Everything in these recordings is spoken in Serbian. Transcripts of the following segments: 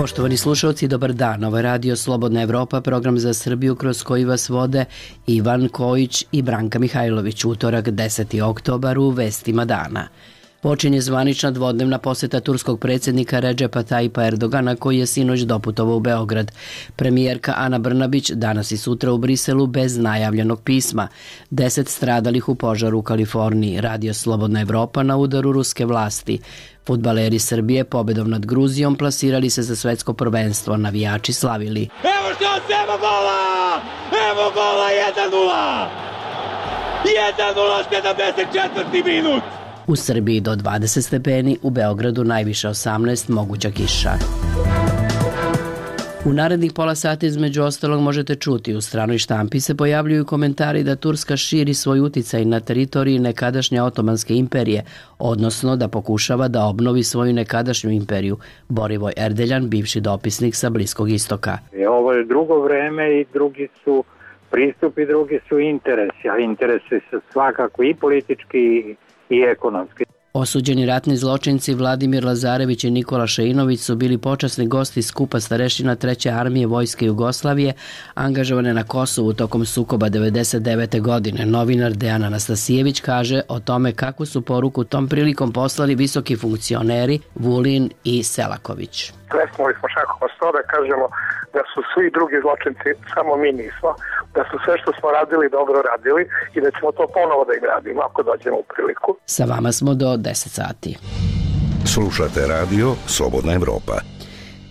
Poštovani slušalci, dobar dan. Ovo je Radio Slobodna Evropa, program za Srbiju kroz koji vas vode Ivan Kojić i Branka Mihajlović. Utorak 10. oktobar u Vestima dana. Počinje zvanična dvodnevna poseta turskog predsjednika Redžepa Tajipa Erdogana koji je sinoć doputovao u Beograd. Premijerka Ana Brnabić danas i sutra u Briselu bez najavljenog pisma. 10 stradalih u požaru u Kaliforniji. Radio Slobodna Evropa na udaru ruske vlasti. Fudbaleri Srbije pobedom nad Gruzijom plasirali se za svetsko prvenstvo. Navijači slavili. Evo što se, evo gola! Evo gola 1:0! 1:0, 74. minut! U Srbiji do 20 stepeni, u Beogradu najviše 18, moguća kiša. U narednih pola sata između ostalog možete čuti u stranoj štampi se pojavljuju komentari da Turska širi svoj uticaj na teritoriji nekadašnje Otomanske imperije, odnosno da pokušava da obnovi svoju nekadašnju imperiju. Borivoj Erdeljan, bivši dopisnik sa Bliskog istoka. Ovo je drugo vreme i drugi su pristupi, drugi su interesi, a interesi su svakako i politički i ekonomski. Osuđeni ratni zločinci Vladimir Lazarević i Nikola Šeinović su bili počasni gosti skupa starešina 3. armije Vojske Jugoslavije angažovane na Kosovu tokom sukoba 1999. godine. Novinar Dejan Anastasijević kaže o tome kakvu su poruku tom prilikom poslali visoki funkcioneri Vulin i Selaković. Plesnuli smo šakom s to da kažemo da su svi drugi zločinci, samo mi nismo, da su sve što smo radili dobro radili i da ćemo to ponovo da im radimo ako dođemo u priliku. Sa vama smo do 10 sati. Slušate Radio Slobodna Evropa.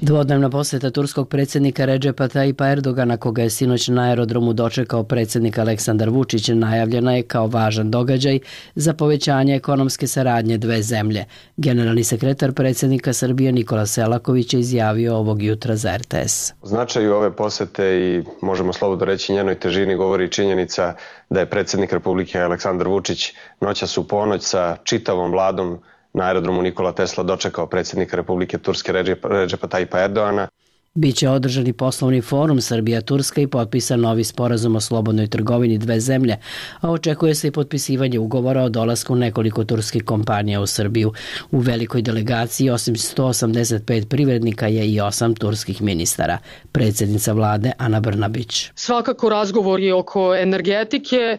Dvodnevna poseta turskog predsjednika Redžepa Tajipa Erdogana, koga je sinoć na aerodromu dočekao predsjednik Aleksandar Vučić, najavljena je kao važan događaj za povećanje ekonomske saradnje dve zemlje. Generalni sekretar predsjednika Srbije Nikola Selaković je izjavio ovog jutra za RTS. O značaju ove posete i možemo slobodno reći njenoj težini govori činjenica da je predsjednik Republike Aleksandar Vučić noćas u ponoć sa čitavom vladom na aerodromu Nikola Tesla dočekao predsjednika Republike Turske Redžepa Tajipa Erdogana. Biće održani poslovni forum Srbija-Turska i potpisan novi sporazum o slobodnoj trgovini dve zemlje, a očekuje se i potpisivanje ugovora o dolasku nekoliko turskih kompanija u Srbiju. U velikoj delegaciji osim 185 privrednika je i 8 turskih ministara. Predsjednica vlade Ana Brnabić. Svakako razgovori oko energetike,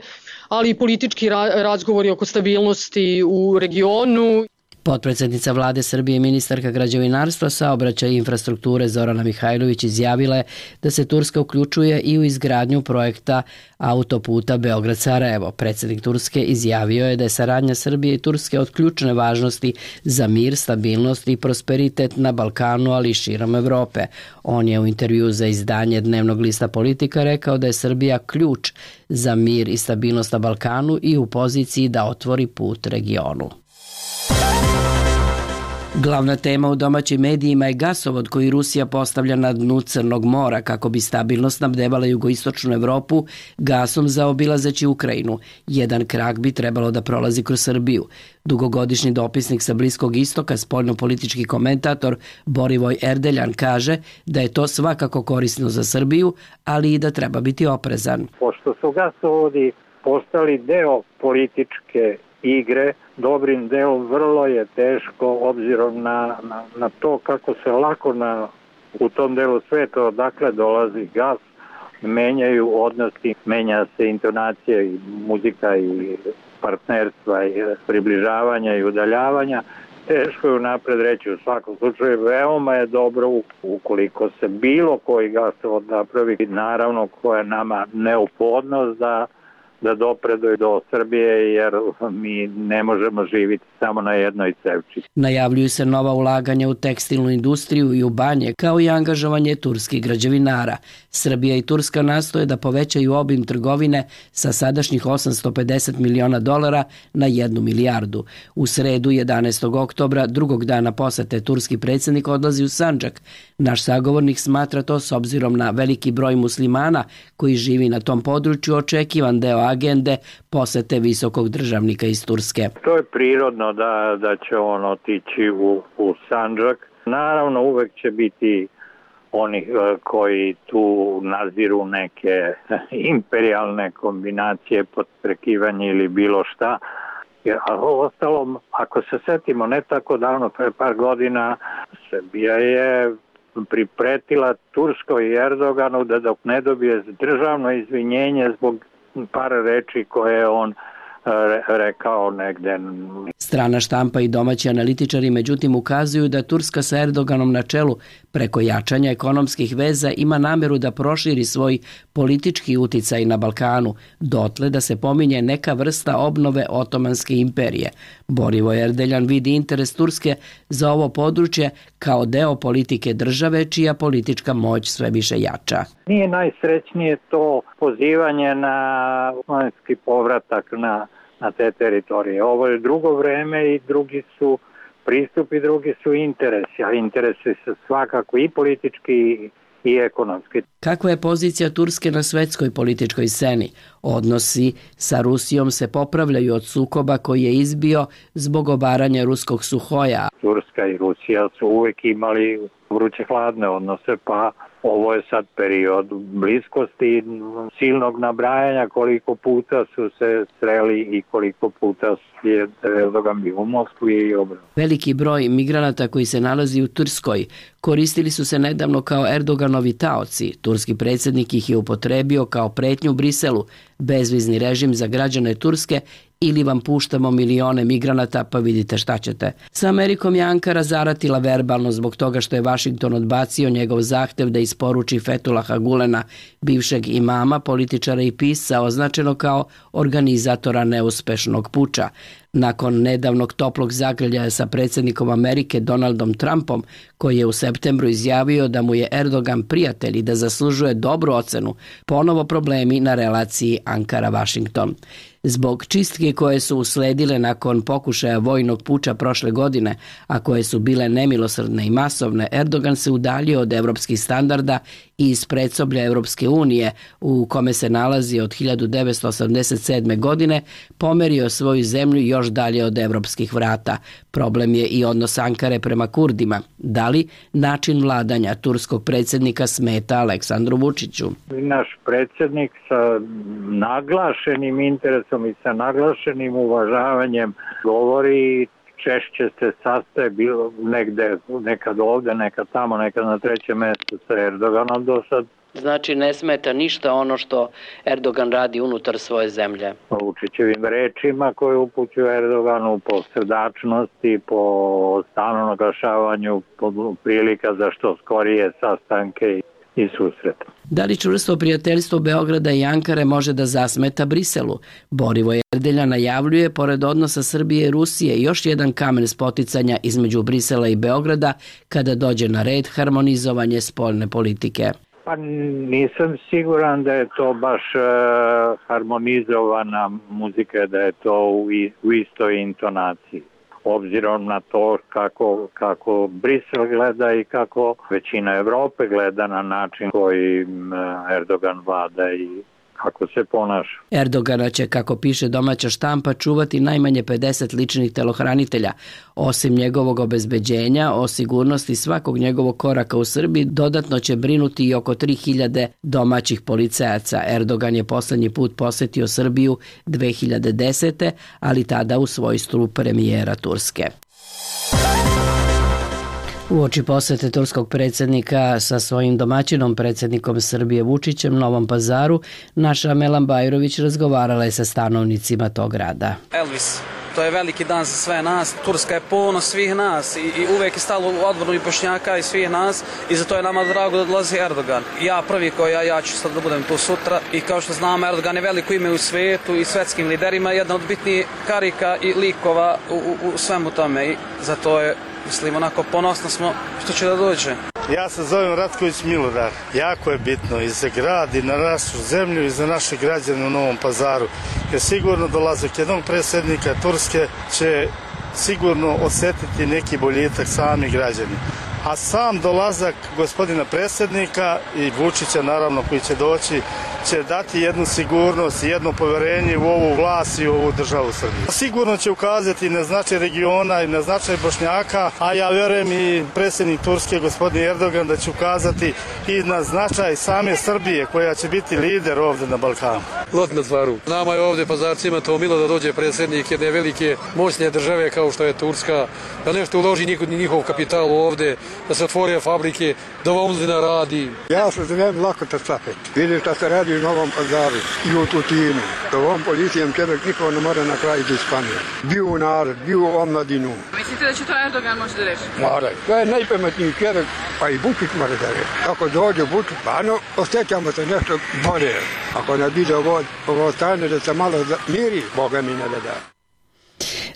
ali i politički razgovori oko stabilnosti u regionu. Potpredsjednica vlade Srbije i ministarka građevinarstva, saobraćaja i infrastrukture Zorana Mihajlović izjavila je da se Turska uključuje i u izgradnju projekta autoputa Beograd-Sarajevo. Predsjednik Turske izjavio je da je saradnja Srbije i Turske od ključne važnosti za mir, stabilnost i prosperitet na Balkanu, ali i širom Evrope. On je u intervju za izdanje dnevnog lista Politika rekao da je Srbija ključ za mir i stabilnost na Balkanu i u poziciji da otvori put regionu. Glavna tema u domaćim medijima je gasovod koji Rusija postavlja na dnu Crnog mora kako bi stabilno snabdevala jugoistočnu Evropu gasom zaobilazeći Ukrajinu. Jedan krak bi trebalo da prolazi kroz Srbiju. Dugogodišnji dopisnik sa Bliskog istoka, spoljnopolitički komentator Borivoj Erdeljan kaže da je to svakako korisno za Srbiju, ali i da treba biti oprezan. Pošto su gasovodi postali deo političke igre, dobrim delom vrlo je teško obzirom na to kako se lako u tom delu sveta odakle dolazi gas, menjaju odnosi, menja se intonacija i muzika i partnerstva i približavanja i udaljavanja. Teško je unapred reći, u svakom slučaju veoma je dobro ukoliko se bilo koji gasovod napravi, naravno koja je nama neophodnost da dopredu do Srbije, jer mi ne možemo živjeti samo na jednoj cevči. Najavljuju se nova ulaganja u tekstilnu industriju i u banje, kao i angažovanje turskih građevinara. Srbija i Turska nastoje da povećaju obim trgovine sa sadašnjih $850 miliona na 1 milijardu. U sredu 11. oktobra, drugog dana posete, turski predsjednik odlazi u Sandžak. Naš sagovornik smatra to s obzirom na veliki broj muslimana koji živi na tom području očekivan deo agende posete visokog državnika iz Turske. To je prirodno da će on otići u Sandžak. Naravno uvek će biti oni koji tu naziru neke imperijalne kombinacije, podstrekivanje ili bilo šta. A ostalom, ako se setimo, ne tako davno, pre par godina, Srbija je pripretila Turskoj i Erdoganu da dok ne dobije državno izvinjenje zbog par reči koje on rekao negde. Strana štampa i domaći analitičari međutim ukazuju da Turska sa Erdoganom na čelu preko jačanja ekonomskih veza ima nameru da proširi svoj politički uticaj na Balkanu, dotle da se pominje neka vrsta obnove Otomanske imperije. Borivoje Erdeljan vidi interes Turske za ovo područje kao deo politike države čija politička moć sve više jača. Nije najsrećnije to pozivanje na osmanski povratak na te teritorije. Ovo je drugo vreme i drugi su pristupi, drugi su interesi, a interesi su svakako i politički i ekonomski. Kakva je pozicija Turske na svetskoj političkoj sceni? Odnosi sa Rusijom se popravljaju od sukoba koji je izbio zbog obaranja ruskog Suhoja. Turska i Rusija su uvek imali vruće hladne odnose, pa ovo je sad period bliskosti, silnog nabrajanja koliko puta su se sreli i koliko puta je Erdogan bio u Moskvi i obratno. Veliki broj migranata koji se nalazi u Turskoj koristili su se nedavno kao Erdoganovi taoci. Turski predsjednik ih je upotrebio kao pretnju Briselu, bezvizni režim za građane Turske ili vam puštamo milione migranata pa vidite šta ćete. Sa Amerikom je Ankara zaratila verbalno zbog toga što je Vašington odbacio njegov zahtev da isporuči Fetulaha Gulena, bivšeg imama, političara i pisca, označeno kao organizatora neuspešnog puča. Nakon nedavnog toplog zagrljaja sa predsjednikom Amerike Donaldom Trumpom, koji je u septembru izjavio da mu je Erdogan prijatelj i da zaslužuje dobru ocenu, ponovo problemi na relaciji Ankara-Vašington. Zbog čistke koje su usledile nakon pokušaja vojnog puča prošle godine, a koje su bile nemilosrdne i masovne, Erdogan se udaljio od evropskih standarda i iz predsoblja Evropske unije, u kome se nalazi od 1987. godine, pomerio svoju zemlju još dalje od evropskih vrata. Problem je i odnos Ankare prema Kurdima. Da li način vladanja turskog predsjednika smeta Aleksandru Vučiću? Naš predsjednik sa naglašenim interesom i sa naglašenim uvažavanjem govori, češće se sastaje bilo negde, nekad ovde, nekad tamo, nekad na trećem mjestu sa Erdoganom do sad. Znači ne smeta ništa ono što Erdogan radi unutar svoje zemlje? Po Vučićevim rečima koje upućuje Erdoganu, po srdačnosti, po stalnom naglašavanju prilika za što skorije sastanke i susrete. Da li čvrsto prijateljstvo Beograda i Ankare može da zasmeta Briselu? Borivoje Erdeljan najavljuje, pored odnosa Srbije i Rusije, još jedan kamen spoticanja između Brisela i Beograda kada dođe na red harmonizovanje spoljne politike. Pa nisam siguran da je to baš harmonizovana muzika, da je to u istoj intonaciji. Obzirom na to kako Brisel gleda i kako većina Evrope gleda na način koji Erdogan vlada i kako se ponaša. Erdogana će, kako piše domaća štampa, čuvati najmanje 50 ličnih telohranitelja. Osim njegovog obezbeđenja, o sigurnosti svakog njegovog koraka u Srbiji, dodatno će brinuti i oko 3000 domaćih policajaca. Erdogan je poslednji put posetio Srbiju 2010. ali tada u svojstvu premijera Turske. Uoči posete turskog predsjednika sa svojim domaćinom, predsjednikom Srbije Vučićem, Novom Pazaru, naša Melan Bajrović razgovarala je sa stanovnicima tog grada. Elvis, to je veliki dan za sve nas. Turska je ponos svih nas i uvek je stalo u odbranu i Bošnjaka i svih nas i zato je nama drago da dolazi Erdogan. Ja prvi ja ću sad da budem tu sutra i kao što znamo, Erdogan je veliko ime u svijetu i svetskim liderima, jedna od bitnijih karika i likova u svemu tome i zato je, mislim, onako ponosno smo što će da dođe. Ja se zovem Ratković Milodar. Jako je bitno i za grad i na našu zemlju i za naše građane u Novom Pazaru. Jer sigurno dolazak jednog predsjednika Turske će sigurno osjetiti neki boljitak sami građani. A sam dolazak gospodina predsjednika i Vučića, naravno, koji će doći, će dati jednu sigurnost i jedno povjerenje u ovu vlast i u ovu državu Srbiju. Sigurno će ukazati na značaj regiona i na značaj Bošnjaka, a ja vjerujem i predsjednik Turske, gospodin Erdogan, da će ukazati i na značaj same Srbije, koja će biti lider ovdje na Balkanu. lot na tvaru. Nama je ovde pazarcima to milo da dođe predsjednik jedne velike moćne države kao što je Turska, da nešto uloži njihov kapital ovde, da se otvore fabrike, da omladina radi. Ja se zovem Lakota Capet. Vidim šta se radi u Novom Pazaru i u Tutinu. Da ovom policijom čovjek niko ne mora na kraju da ispanije. Bio u narod, bio u omladinu. Mislite da će to Erdogan može da reši? Mora. To je najpametniji čovjek, pa i Vučić mora da reši. Ako dođe Vučić, pa osjećamo se nešto bolje. Ako ne bude ovo stane da se malo miri, Boga mi ne da.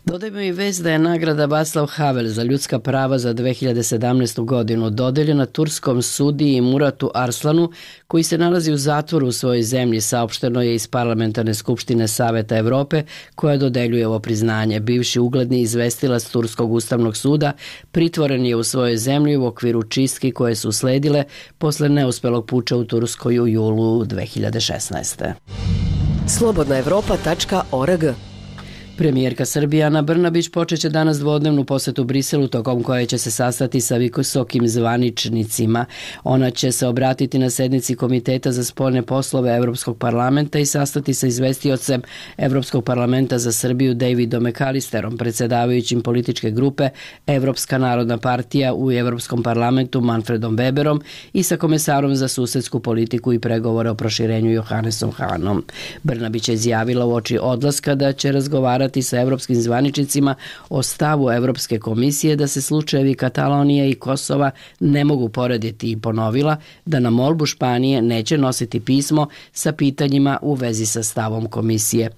Dodajmo i vest da je nagrada Václav Havel za ljudska prava za 2017. godinu dodeljena turskom sudiji Muratu Arslanu, koji se nalazi u zatvoru u svojoj zemlji, saopšteno je iz Parlamentarne skupštine Saveta Evrope, koja dodeljuje ovo priznanje. Bivši ugledni izvestilac Turskog ustavnog suda pritvoren je u svojoj zemlji u okviru čistki koje su usledile posle neuspelog puča u Turskoj u julu 2016. Slobodnaevropa.org. Premijerka Srbije Ana Brnabić počeće danas dvodnevnu posetu Briselu, tokom koje će se sastati sa visokim zvaničnicima. Ona će se obratiti na sednici Komiteta za spoljne poslove Evropskog parlamenta i sastati sa izvestiocem Evropskog parlamenta za Srbiju Davidom McAllisterom, predsjedavajućim političke grupe Evropska narodna partija u Evropskom parlamentu Manfredom Weberom i sa komesarom za susedsku politiku i pregovore o proširenju Johannesom Hanom. Brnabić je izjavila uoči odlaska da će razgovarati sa evropskim zvaničnicima o stavu Evropske komisije da se slučajevi Katalonije i Kosova ne mogu porediti i ponovila da na molbu Španije neće nositi pismo sa pitanjima u vezi sa stavom komisije.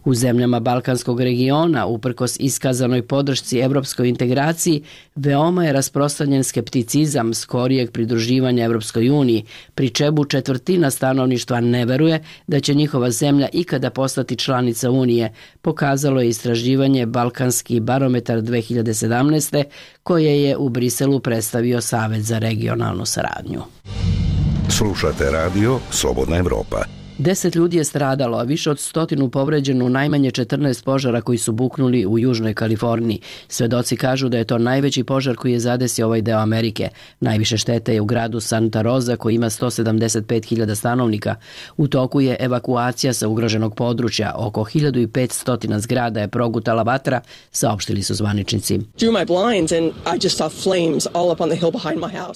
U zemljama Balkanskog regiona, uprkos iskazanoj podršci evropskoj integraciji, veoma je rasprostranjen skepticizam skorijeg pridruživanja Evropskoj uniji, pri čemu četvrtina stanovništva ne veruje da će njihova zemlja ikada postati članica Unije, pokazalo je istraživanje Balkanski barometar 2017. koje je u Briselu predstavio Savet za regionalnu saradnju. Slušate radio Slobodna Evropa. 10 ljudi je stradalo, a više od 100 povređeno u najmanje 14 požara koji su buknuli u Južnoj Kaliforniji. Svedoci kažu da je to najveći požar koji je zadesio ovaj deo Amerike. Najviše štete je u gradu Santa Rosa koji ima 175.000 stanovnika. U toku je evakuacija sa ugroženog područja. Oko 1500 zgrada je progutala vatra, saopštili su zvaničnici.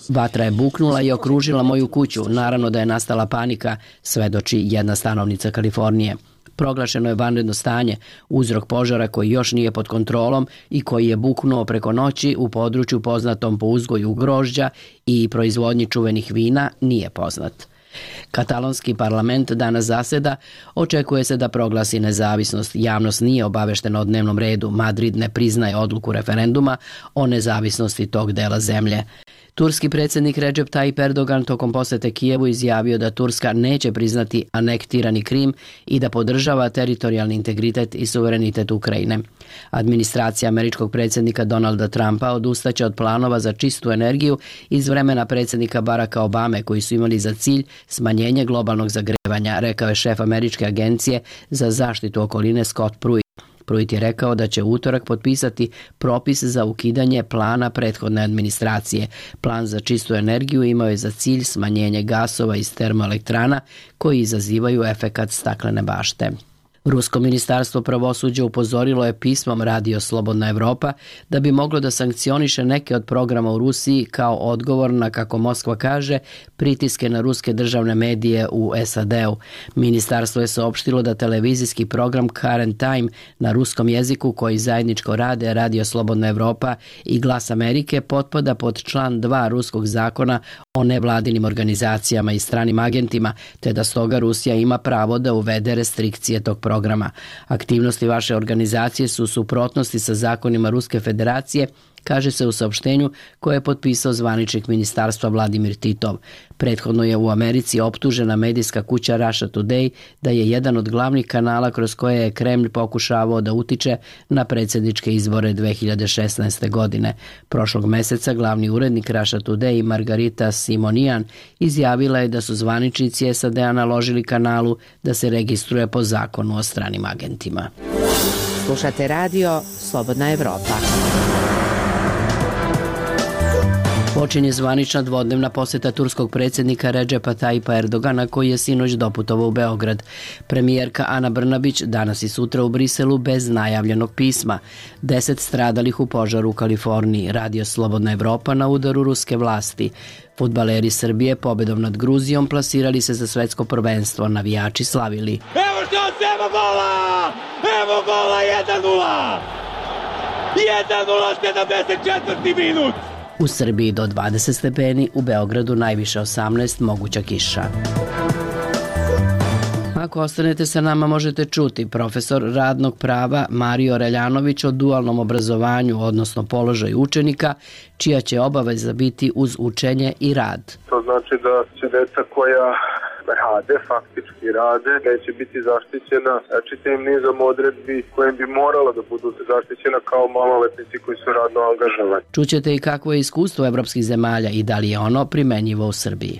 Vatra je buknula i okružila moju kuću. Naravno da je nastala panika, svedoči jedna stanovnica Kalifornije. Proglašeno je vanredno stanje, uzrok požara koji još nije pod kontrolom i koji je buknuo preko noći u području poznatom po uzgoju grožđa i proizvodnji čuvenih vina nije poznat. Katalonski parlament danas zaseda, očekuje se da proglasi nezavisnost. Javnost nije obaveštena o dnevnom redu. Madrid ne priznaje odluku referenduma o nezavisnosti tog dela zemlje. Turski predsjednik Recep Tayyip Erdogan tokom posete Kijevu izjavio da Turska neće priznati anektirani Krim i da podržava teritorijalni integritet i suverenitet Ukrajine. Administracija američkog predsjednika Donalda Trumpa odustaće od planova za čistu energiju iz vremena predsjednika Baracka Obame koji su imali za cilj smanjenje globalnog zagrevanja, rekao je šef američke agencije za zaštitu okoline Scott Pruitt. Pruitt je rekao da će u utorak potpisati propis za ukidanje plana prethodne administracije. Plan za čistu energiju imao je za cilj smanjenje gasova iz termoelektrana koji izazivaju efekat staklene bašte. Rusko ministarstvo pravosuđa upozorilo je pismom Radio Slobodna Evropa da bi moglo da sankcioniše neke od programa u Rusiji kao odgovor na, kako Moskva kaže, pritiske na ruske državne medije u SAD-u. Ministarstvo je saopštilo da televizijski program Current Time na ruskom jeziku koji zajedničko rade Radio Slobodna Evropa i Glas Amerike potpada pod član 2 ruskog zakona o nevladinim organizacijama i stranim agentima, te da stoga Rusija ima pravo da uvede restrikcije tog programa. Aktivnosti vaše organizacije su u suprotnosti sa zakonima Ruske federacije, kaže se u saopštenju koje je potpisao zvaničnik ministarstva Vladimir Titov. Prethodno je u Americi optužena medijska kuća Russia Today da je jedan od glavnih kanala kroz koje je Kremlj pokušavao da utiče na predsjedničke izbore 2016. godine. Prošlog meseca glavni urednik Russia Today Margarita Simonian izjavila je da su zvaničnici SAD-a naložili kanalu da se registruje po zakonu o stranim agentima. Slušate radio Slobodna Evropa. Počinje zvanična dvodnevna poseta turskog predsjednika Redžepa Tajipa Erdogana koji je sinoć doputovao u Beograd. Premijerka Ana Brnabić danas i sutra u Briselu bez najavljenog pisma. 10 stradalih u požaru u Kaliforniji. Radio Slobodna Evropa na udaru ruske vlasti. Fudbaleri Srbije pobedom nad Gruzijom plasirali se za svetsko prvenstvo. Navijači slavili. Evo šanse, evo gola! Evo gola 1:0! 1:0, 74. minut! U Srbiji do 20 stepeni, u Beogradu najviše 18, moguća kiša. Ako ostanete sa nama možete čuti profesor radnog prava Mario Reljanović o dualnom obrazovanju, odnosno položaju učenika, čija će obaveza biti uz učenje i rad. To znači da će deca koja faktički rade, neće biti zaštićena čitavim nizom odredbi kojim bi morala da budu zaštićena kao maloletnici koji su radno angažovani. Čućete i kakvo je iskustvo evropskih zemalja i da li je ono primenjivo u Srbiji.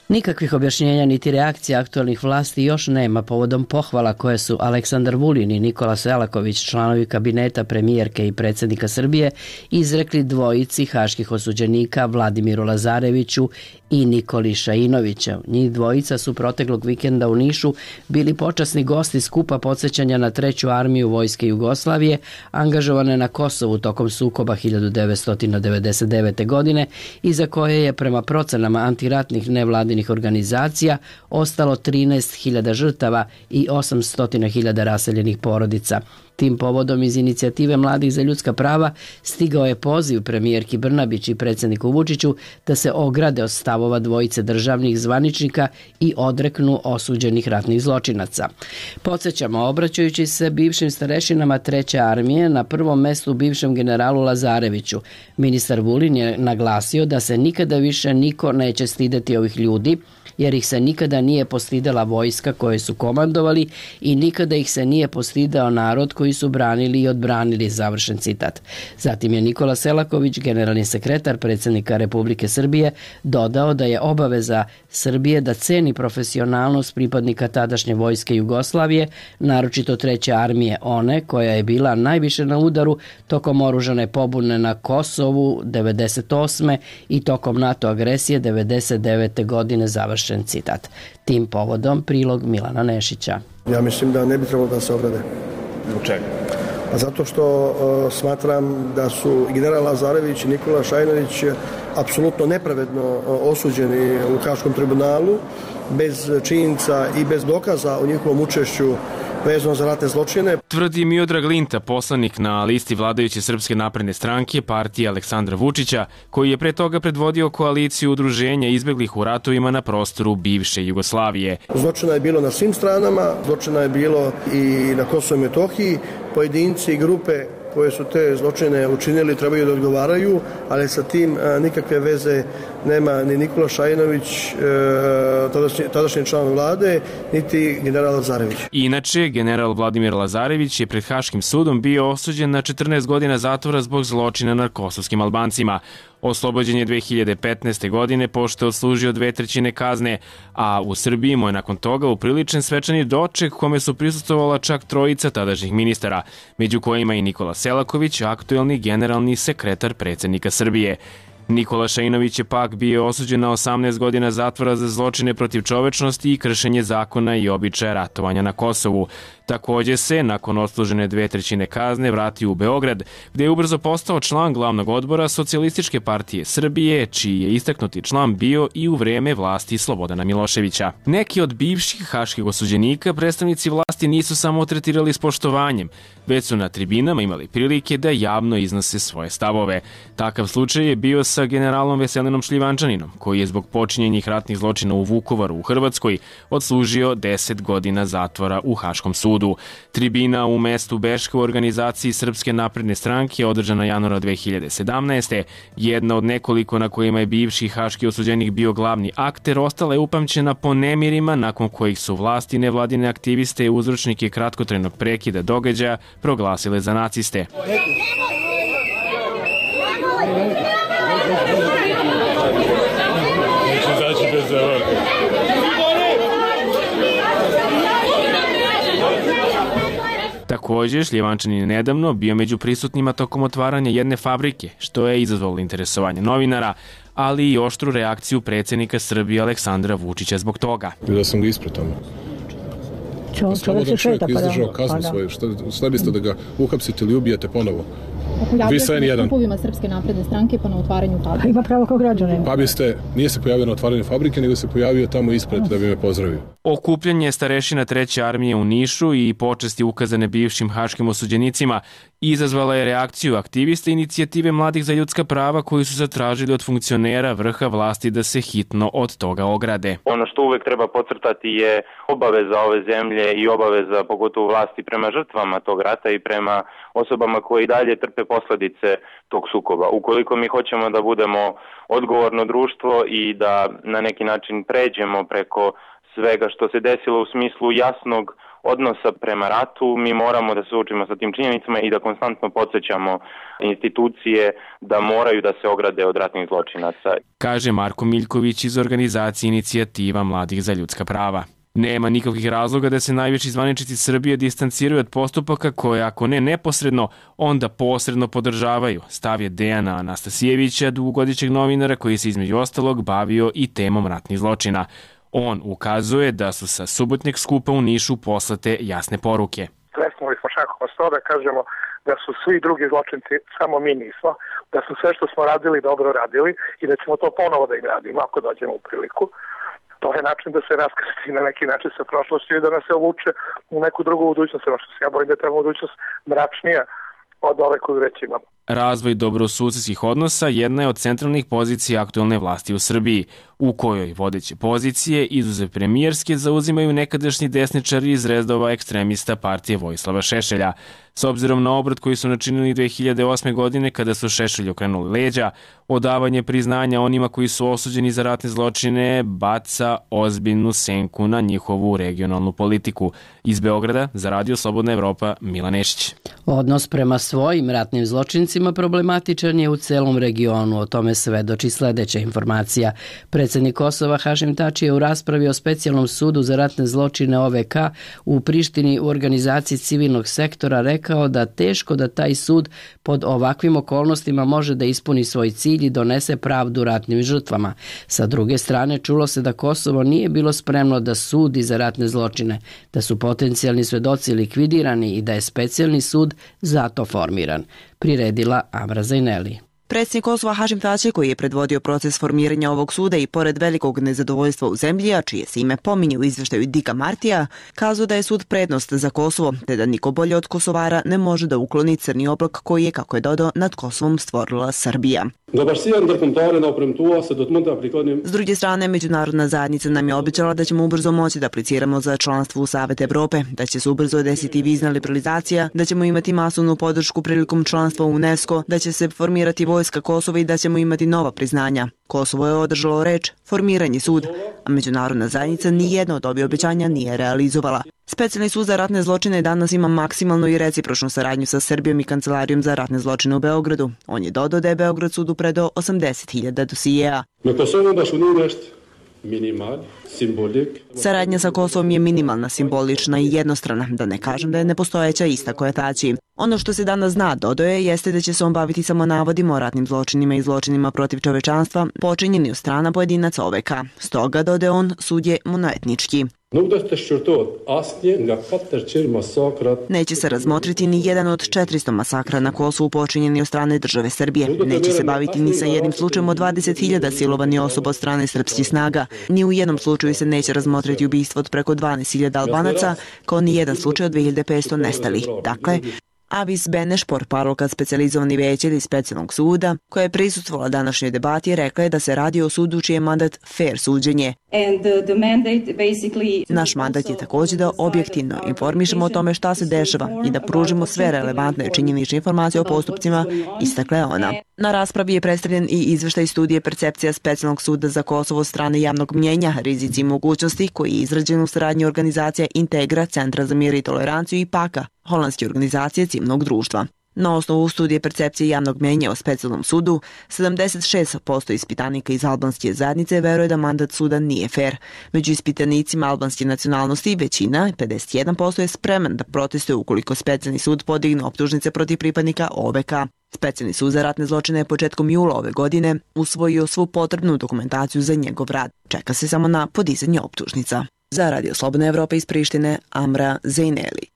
Nikakvih objašnjenja niti reakcija aktualnih vlasti još nema povodom pohvala koje su Aleksandar Vulin i Nikola Selaković, članovi kabineta premijerke i predsjednika Srbije, izrekli dvojici haških osuđenika Vladimiru Lazareviću i Nikoli Šainoviću. Njih dvojica su proteklog vikenda u Nišu bili počasni gosti skupa podsjećanja na Treću armiju Vojske Jugoslavije, angažovane na Kosovu tokom sukoba 1999. godine i za koje je prema procenama antiratnih nevladinih organizacija ostalo 13.000 žrtava i 800.000 raseljenih porodica. Tim povodom iz inicijative Mladih za ljudska prava stigao je poziv premijerki Brnabić i predsjedniku Vučiću da se ograde od stavova dvojice državnih zvaničnika i odreknu osuđenih ratnih zločinaca. Podsjećamo, obraćajući se bivšim starešinama Treće armije, na prvom mestu bivšem generalu Lazareviću, ministar Vulin je naglasio da se nikada više niko neće stideti ovih ljudi, jer ih se nikada nije postidela vojska koje su komandovali i nikada ih se nije postidao narod koji su branili i odbranili, završen citat. Zatim je Nikola Selaković, generalni sekretar predsjednika Republike Srbije, dodao da je obaveza Srbije da ceni profesionalnost pripadnika tadašnje vojske Jugoslavije, naročito Treće armije, one koja je bila najviše na udaru tokom oružane pobune na Kosovu 98. i tokom NATO agresije 99. godine, završen citat. Tim povodom prilog Milana Nešića. Ja mislim da ne bi trebalo da se ograde. Zbog čega? Zato što smatram da su general Lazarević i Nikola Šajnović apsolutno nepravedno osuđeni u Haškom tribunalu, bez činjenica i bez dokaza o njihovom učešću vezano za ratne zločine. Tvrdi Miodrag Linta, poslanik na listi vladajuće Srpske napredne stranke, partije Aleksandra Vučića, koji je pre toga predvodio koaliciju udruženja izbeglih u ratovima na prostoru bivše Jugoslavije. Zločina je bilo na svim stranama, zločina je bilo i na Kosovu i Metohiji. Pojedinci i grupe koje su te zločine učinili trebaju da odgovaraju, ali sa tim nikakve veze nema ni Nikola Šajinović, tadašnji član vlade, niti general Lazarević. Inače, general Vladimir Lazarević je pred Haškim sudom bio osuđen na 14 godina zatvora zbog zločina nad kosovskim Albancima. Oslobođen je 2015. godine pošto je odslužio 2/3 kazne, a u Srbiji mu je nakon toga upriličen svečani doček kome su prisustvovala čak trojica tadašnjih ministara, među kojima i Nikola Selaković, aktuelni generalni sekretar predsjednika Srbije. Nikola Šainović je pak bio osuđen na 18 godina zatvora za zločine protiv čovečnosti i kršenje zakona i običaja ratovanja na Kosovu. Također se, nakon odslužene 2/3 kazne, vratio u Beograd, gde je ubrzo postao član glavnog odbora Socijalističke partije Srbije, čiji je istaknuti član bio i u vreme vlasti Slobodana Miloševića. Neki od bivših haških osuđenika predstavnici vlasti nisu samo tretirali s poštovanjem, već su na tribinama imali prilike da javno iznose svoje stavove. Takav slučaj je bio sa generalom Veselinom Šljivančaninom, koji je zbog počinjenih ratnih zločina u Vukovaru u Hrvatskoj odslužio 10 godina zatvora u Haškom sudu. Tribina u mestu Beška u organizaciji Srpske napredne stranke održana januara 2017. Jedna od nekoliko na kojima je bivši haški osuđenik bio glavni akter, ostala je upamćena po nemirima nakon kojih su vlasti nevladine aktiviste i uzročnike kratkotrajnog prekida događaja proglasile za naciste. Takođe, Šljivančanin je nedavno bio među prisutnima tokom otvaranja jedne fabrike, što je izazvalo interesovanje novinara, ali i oštru reakciju predsjednika Srbije Aleksandra Vučića zbog toga. Da sam ga ispred tamo. Slobodan čovjek izdržao kaznu svoju. Šta biste da ga uhapsite ili ubijete ponovo? Vi sve nijedan. Kupovima Srpske napredne stranke pa na otvaranju fabrike. Ima pravo kao građanin. Pa nije se pojavio na otvaranju fabrike, nego se pojavio tamo ispred da bi me pozdravio. Okupljanje starešina 3. armije u Nišu i počasti ukazane bivšim haškim osuđenicima izazvala je reakciju aktivista inicijative Mladih za ljudska prava koji su zatražili od funkcionera vrha vlasti da se hitno od toga ograde. Ono što uvek treba podcrtati je obaveza ove zemlje i obaveza pogotovo vlasti prema žrtvama tog rata i prema osobama koji dalje trpe posledice tog sukoba. Ukoliko mi hoćemo da budemo odgovorno društvo i da na neki način pređemo preko svega što se desilo u smislu jasnog odnosa prema ratu, mi moramo da se suočimo sa tim činjenicama i da konstantno podsjećamo institucije da moraju da se ograde od ratnih zločinaca. Kaže Marko Miljković iz organizacije Inicijativa Mladih za ljudska prava. Nema nikakvih razloga da se najviši zvaničnici Srbije distanciraju od postupaka koje, ako ne neposredno, onda posredno podržavaju. Stav je Dejana Anastasijevića, dugogodišnjeg novinara koji se između ostalog bavio i temom ratnih zločina. On ukazuje da su sa subotnjeg skupa u Nišu poslate jasne poruke. Presnuli smo šakom s to da kažemo da su svi drugi zločinci, samo mi nismo, da su sve što smo radili dobro radili i da ćemo to ponovo da im radimo ako dođemo u priliku. To je način da se raskrsti na neki način sa prošlošću i da nas se uvuče u neku drugu budućnost. Ono što se ja bojim da je ta budućnost mračnija od ove koju već imamo. Razvoj dobrosusedskih odnosa jedna je od centralnih pozicija aktuelne vlasti u Srbiji, u kojoj vodeće pozicije, izuzev premijerske, zauzimaju nekadašnji desničari iz redova ekstremista partije Vojislava Šešelja. S obzirom na obrat koji su načinili 2008. godine kada su Šešelju okrenuli leđa, odavanje priznanja onima koji su osuđeni za ratne zločine baca ozbiljnu senku na njihovu regionalnu politiku. Iz Beograda za Radio Slobodna Evropa, Milan Nešić. Odnos prema svojim ratnim zločincima problematičan je u celom regionu, o tome svedoči sledeća informacija. Predsjednik Kosova Hašim Tači je u raspravi o specijalnom sudu za ratne zločine OVK u Prištini u organizaciji civilnog sektora rekao da teško da taj sud pod ovakvim okolnostima može da ispuni svoj cilj i donese pravdu ratnim žrtvama. Sa druge strane, čulo se da Kosovo nije bilo spremno da sudi za ratne zločine, da su potencijalni svedoci likvidirani i da je specijalni sud zato formiran. Priredila Amra Zajneli. Predsjednik Kosova Hašim Tači, koji je predvodio proces formiranja ovog suda i pored velikog nezadovoljstva u zemlji, a čije se ime pominje u izveštaju Dika Martija, kazao da je sud prednost za Kosovo, te da niko bolje od Kosovara ne može da ukloni crni oblak koji je, kako je dodao, nad Kosovom stvorila Srbija. S druge strane, međunarodna zajednica nam je obećala da ćemo ubrzo moći da apliciramo za članstvo u Savet Evrope, da će se ubrzo desiti vizna liberalizacija, da ćemo imati masovnu podršku prilikom članstva u UNESCO, da će se formirati vojska Kosova i da ćemo imati nova priznanja. Kosovo je održalo reč, formiranje sud, a međunarodna zajednica nijedno od ovih obećanja nije realizovala. Specijalni sud za ratne zločine danas ima maksimalnu i recipročnu saradnju sa Srbijom i Kancelarijom za ratne zločine u Beogradu. On je dodao da je Beograd sudu predao 80.000 dosijeja. Saradnja sa Kosovom je minimalna, simbolična i jednostrana, da ne kažem da je nepostojeća, istakao je Tači. Ono što se danas zna, dodao je, jeste da će se on baviti samo navodima o ratnim zločinima i zločinima protiv čovečanstva, počinjeni od strana pojedinaca OVK. Stoga, dodao on, sud je monoetnički. Neće se razmotriti ni jedan od 400 masakra na Kosovu počinjeni od strane države Srbije. Neće se baviti ni sa jednim slučajem od 20.000 silovanih osoba od strane srpskih snaga. Ni u jednom slučaju se neće razmotriti ubistvo od preko 12.000 Albanaca, kao ni jedan slučaj od 2.500 nestalih. Dakle, Avis Beneš, portparolka specijalizovani veće specijalnog suda, koja je prisustvovala današnjoj debati, rekla je da se radi o sudu čiji je mandat fair suđenje. Naš mandat je također da objektivno informišemo o tome šta se dešava i da pružimo sve relevantne činjenične informacije o postupcima, istakla je ona. Na raspravi je predstavljen i izveštaj studije Percepcija specijalnog suda za Kosovo od strane javnog mnjenja, rizici i mogućnosti, koji je izrađen u saradnji organizacija Integra, Centra za mir i toleranciju i PAKA, holandske organizacije civilnog društva. Na osnovu studije percepcije javnog mnjenja o specijalnom sudu, 76% ispitanika iz albanske zajednice veruje da mandat suda nije fair. Među ispitanicima albanske nacionalnosti većina, 51%, je spreman da protestuje ukoliko specijalni sud podigne optužnice protiv pripadnika OVK. Specijalni sud za ratne zločine je početkom jula ove godine usvojio svu potrebnu dokumentaciju za njegov rad. Čeka se samo na podizanje optužnica. Za Radio Slobodna Evropa iz Prištine, Amra Zejneli.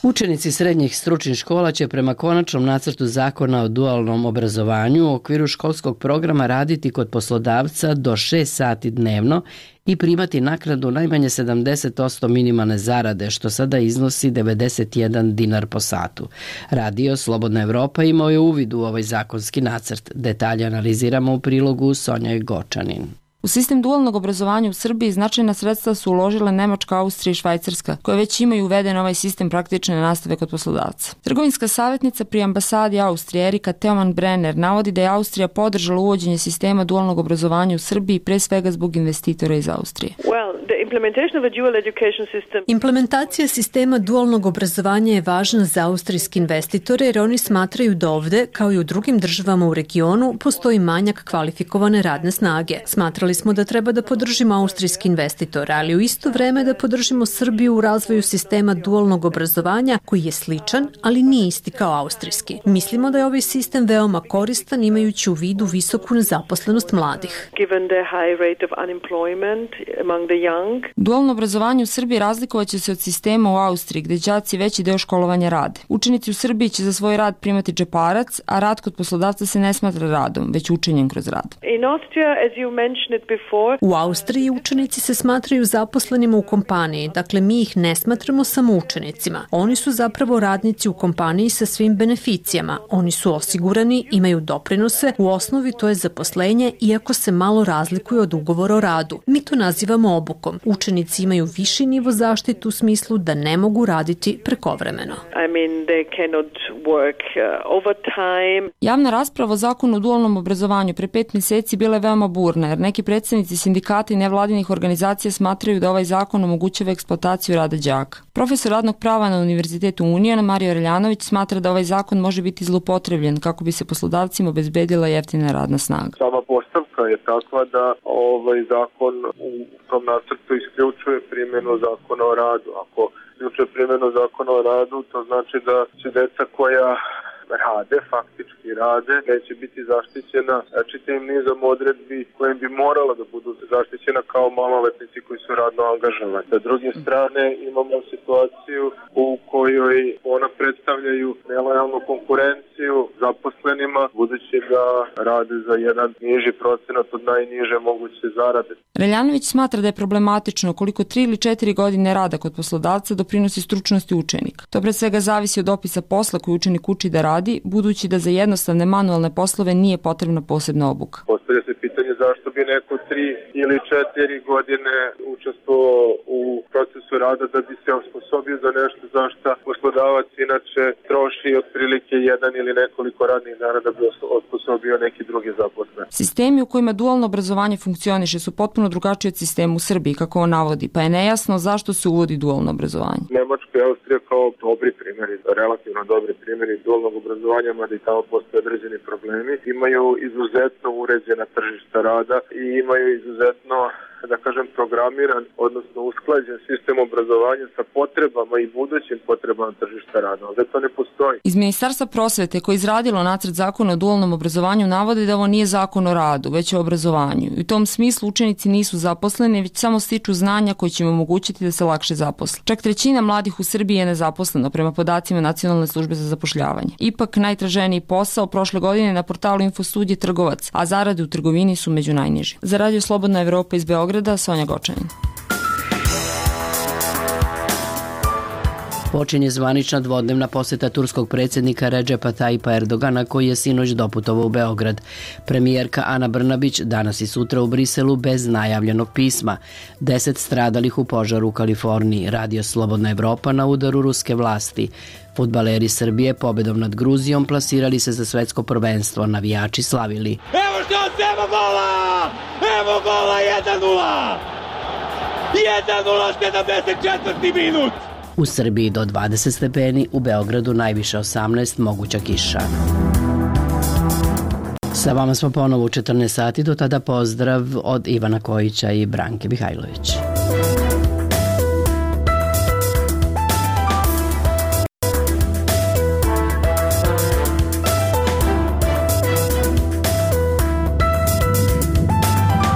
Učenici srednjih stručnih škola će prema konačnom nacrtu zakona o dualnom obrazovanju u okviru školskog programa raditi kod poslodavca do 6 sati dnevno i primati naknadu najmanje 70% minimalne zarade, što sada iznosi 91 dinar po satu. Radio Slobodna Evropa imao je uvid u ovaj zakonski nacrt. Detalje analiziramo u prilogu Sonja Gočanin. U sistem dualnog obrazovanja u Srbiji značajna sredstva su uložile Nemačka, Austrija i Švajcarska, koje već imaju uveden ovaj sistem praktične nastave kod poslodavca. Trgovinska savjetnica pri ambasadi Austrije Erika Teoman-Brenner navodi da je Austrija podržala uvođenje sistema dualnog obrazovanja u Srbiji pre svega zbog investitora iz Austrije. Implementacija sistema dualnog obrazovanja je važna za austrijske investitore jer oni smatraju da ovde, kao i u drugim državama u regionu, postoji manjak kvalifikovane radne snage. Smatrali smo da treba da podržimo austrijski investitor, ali u isto vreme da podržimo Srbiju u razvoju sistema dualnog obrazovanja koji je sličan, ali nije isti kao austrijski. Mislimo da je ovaj sistem veoma koristan imajući u vidu visoku nezaposlenost mladih. Dualno obrazovanje u Srbiji razlikovaće se od sistema u Austriji gde đaci veći deo školovanja rade. Učenici u Srbiji će za svoj rad primati džeparac, a rad kod poslodavca se ne smatra radom, već učenjem kroz rad. U Austriji učenici se smatraju zaposlenima u kompaniji, dakle mi ih ne smatramo samo učenicima. Oni su zapravo radnici u kompaniji sa svim beneficijama. Oni su osigurani, imaju doprinose, u osnovi to je zaposlenje, iako se malo razlikuje od ugovora o radu. Mi to nazivamo obukom. Učenici imaju viši nivo zaštite u smislu da ne mogu raditi prekovremeno. Javna rasprava o zakonu o dualnom obrazovanju pre 5 meseci bila je veoma burna, jer neki predstavnici sindikata i nevladinih organizacija smatraju da ovaj zakon omogućava eksploataciju rada đaka. Profesor radnog prava na Univerzitetu Union, Mario Reljanović, smatra da ovaj zakon može biti zloupotrebljen kako bi se poslodavcima obezbedila jeftina radna snaga. Sama postavka je takva da ovaj zakon u tom nacrtu isključuje primjenu zakona o radu. Ako isključuje primjenu zakona o radu, to znači da će deca koja rade, faktički rade, neće biti zaštićena čitavim nizom odredbi kojim bi morala da budu zaštićena kao maloletnici koji su radno angažovani. Sa druge strane imamo situaciju u kojoj ona predstavljaju nelojalnu konkurenciju zaposlenima, budući da rade za jedan niži procenat od najniže moguće zarade. Reljanović smatra da je problematično koliko 3 ili 4 godine rada kod poslodavca doprinosi stručnosti učenika. To pre svega zavisi od opisa posla koji učenik uči da radi, budući da za jednostavne manualne poslove nije potrebna posebna obuka. Postavlja se pitanje zašto bi neko 3 ili 4 godine učestvovao u procesu rada da bi se osposobio za nešto za što poslodavac inače troši otprilike jedan ili nekoliko radnih dana da bi osposobio neki drugi zaposlen. Sistemi u kojima dualno obrazovanje funkcioniše su potpuno drugačiji od sistema u Srbiji, kako on navodi, pa je nejasno zašto se uvodi dualno obrazovanje. Nemačka i Austrija kao dobri primjeri, relativno dobri primjeri dualnog obrazovanja, mada i tamo postoje određeni problemi, imaju izuzetno uređena tržišta rada i imaju izuzetno, da kažem, programiran, odnosno usklađen sistem obrazovanja sa potrebama i budućim potrebama tržišta rada. Ovdje to ne postoji. Iz Ministarstva prosvete koje je izradilo nacrt zakona o dualnom obrazovanju navode da ovo nije zakon o radu, već o obrazovanju. I u tom smislu učenici nisu zaposleni, već samo stiču znanja koji će im omogućiti da se lakše zaposle. Čak 1/3 mladih u Srbiji je nezaposleno prema podacima Nacionalne službe za zapošljavanje. Ipak najtraženiji posao prošle godine na portalu Infostudije Trgovac, a zarade u trgovini su među najnižim. Za Radio Slobodna Evropa iz Beograda, Sonja Gočanin. Počinje zvanična dvodnevna poseta turskog predsjednika Redžepa Tajipa Erdogana koji je sinoć doputovao u Beograd. Premijerka Ana Brnabić danas i sutra u Briselu bez najavljenog pisma. 10 stradalih u požaru u Kaliforniji. Radio Slobodna Evropa na udaru ruske vlasti. Fudbaleri Srbije pobedom nad Gruzijom plasirali se za svetsko prvenstvo. Navijači slavili. Evo šans, evo gola! Evo gola, 1:0! 1:0, 74. minut! U Srbiji do 20 stepeni, u Beogradu najviše 18, moguća kiša. Sa vama smo ponovo u 14 sati, do tada pozdrav od Ivana Kojića i Branke Mihajlović.